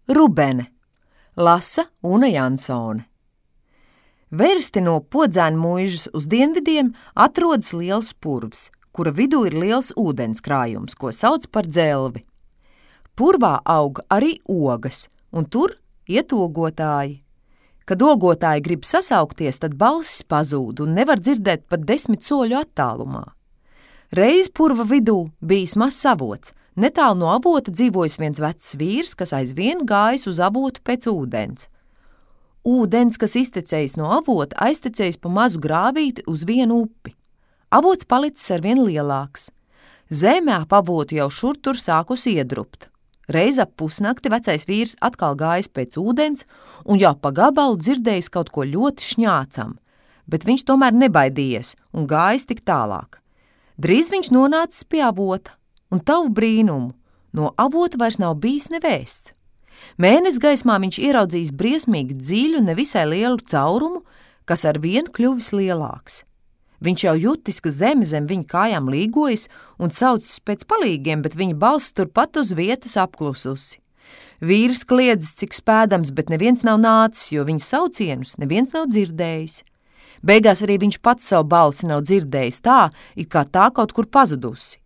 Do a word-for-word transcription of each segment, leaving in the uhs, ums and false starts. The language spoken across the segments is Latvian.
Rubene, lasa Una Jansone. Versti no Podzēnu muižas uz dienvidiem atrodas liels purvs, kura vidū ir liels ūdenskrājums, ko sauc par Dzelvi. Purvā aug arī ogas, un tur iet ogotāji. Kad ogotāji grib sasaukties, tad balsis pazūd un nevar dzirdēt pat desmit soļu attālumā. Reiz purva vidū bijis mazs avots. Netālu no avota dzīvojis viens vecs vīrs, kas aizvien gājis uz avotu pēc ūdens. Ūdens, kas iztecējis no avota, aiztecējis pa mazu grāvīti uz vienu upi. Avots palicis arvien lielāks. Zeme ap avotu jau šur tur sākus iedrupt. Reiz ap pusnakti vecais vīrs atkal gājis pēc ūdens un jau pa gabalu dzirdējis kaut ko ļoti šņācam, bet viņš tomēr nebaidījies un gājis tik tālāk. Drīz viņš nonācis pie avota, un tavu brīnumu, no avota vairs nav bijis nevēsts. Mēness gaismā viņš ieraudzījis briesmīgi dziļu, nevisai lielu caurumu, kas ar vien kļuvis lielāks. Viņš jau jutis, ka zeme zem viņa kājām līgojas un saucis pēc palīgiem, bet viņa balss turpat uz vietas apklususi. Vīrs kliedzis, cik spēdams, bet neviens nav nācis, jo viņa saucienus neviens nav dzirdējis. Beigās arī viņš pats savu balsi nav dzirdējis tā, it kā tā kaut kur pazudusi.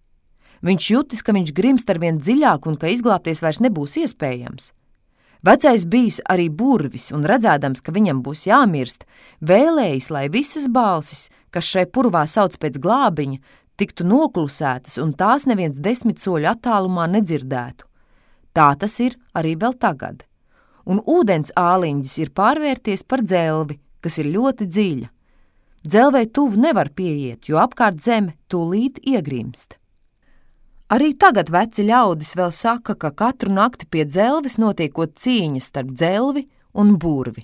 Viņš jutis, ka viņš grimst arvien dziļāk un ka izglābties vairs nebūs iespējams. Vecais bijis arī burvis un redzēdams, ka viņam būs jāmirst, vēlējis, lai visas balsis, kas šai purvā sauc pēc glābiņa, tiktu noklusētas un tās neviens desmit soļu attālumā nedzirdētu. Tā tas ir arī vēl tagad. Un ūdens āliņģis ir pārvērties par dzelvi, kas ir ļoti dziļa. Dzelvei tuvu nevar pieiet, jo apkārt zeme tūlīt iegrimst. Arī tagad veci ļaudis vēl saka, ka katru nakti pie dzelves notiekot cīņas starp dzelvi un burvi.